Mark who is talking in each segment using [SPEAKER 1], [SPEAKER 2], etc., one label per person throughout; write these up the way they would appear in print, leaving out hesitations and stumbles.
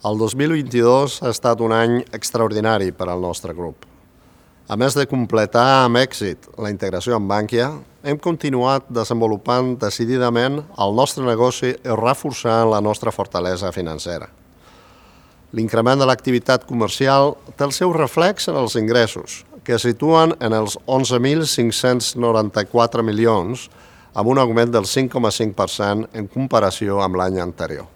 [SPEAKER 1] El 2022 ha estat un any extraordinari per al nostre grup. A més de completar amb èxit la integració amb Bankia, hem continuat desenvolupant decididament el nostre negoci i reforçant la nostra fortalesa financera. L'increment de l'activitat comercial té el seu reflex en els ingressos, que es situen en els 11.594 milions, amb un augment del 5,5% en comparació amb l'any anterior.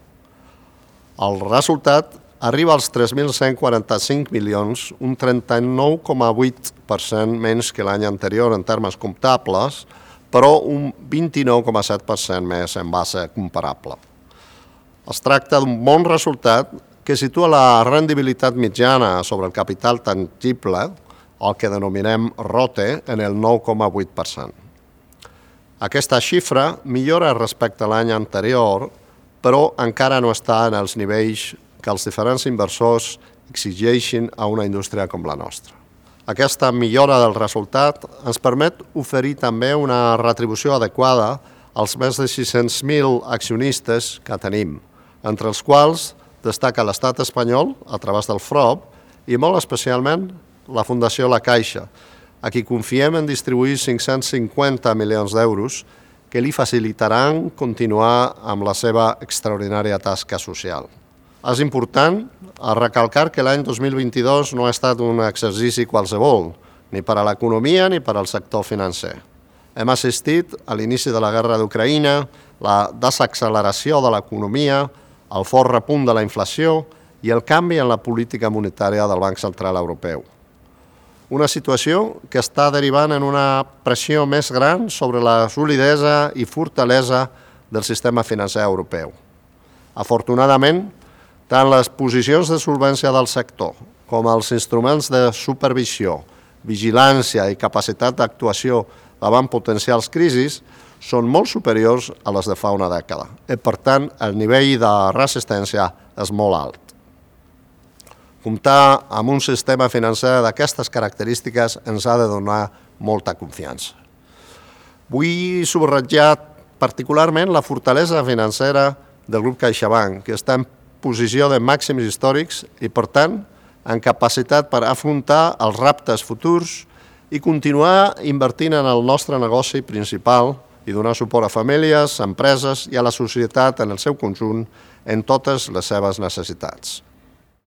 [SPEAKER 1] El resultat arriba als 3.145 milions, un 39,8% menys que l'any anterior en termes comptables, però un 29,7% més en base comparable. Es tracta d'un bon resultat que situa la rendibilitat mitjana sobre el capital tangible, el que denominem ROTE, en el 9,8%. Aquesta xifra millora respecte a l'any anterior, però encara no està en els nivells que els diferents inversors exigeixin a una indústria com la nostra. Aquesta millora del resultat ens permet oferir també una retribució adequada als més de 600.000 accionistes que tenim, entre els quals destaca l'Estat espanyol a través del FROB i molt especialment la Fundació La Caixa, a qui confiem en distribuir 550 milions d'euros que li facilitaran continuar amb la seva extraordinària tasca social. És important recalcar que l'any 2022 no ha estat un exercici qualsevol, ni per a l'economia ni per al sector financer. Hem assistit a l'inici de la guerra d'Ucraïna, la desacceleració de l'economia, el fort repunt de la inflació i el canvi en la política monetària del Banc Central Europeu. Una situació que està derivant en una pressió més gran sobre la solidesa i fortalesa del sistema financer europeu. Afortunadament, tant les posicions de solvència del sector com els instruments de supervisió, vigilància i capacitat d'actuació davant potencials crisis són molt superiors a les de fa una dècada i, per tant, el nivell de resistència és molt alt. Comptar amb un sistema financer d'aquestes característiques ens ha de donar molta confiança. Vull subratllar particularment la fortalesa financera del grup CaixaBank, que està en posició de màxims històrics i, per tant, en capacitat per afrontar els reptes futurs i continuar invertint en el nostre negoci principal i donar suport a famílies, empreses i a la societat en el seu conjunt en totes les seves necessitats.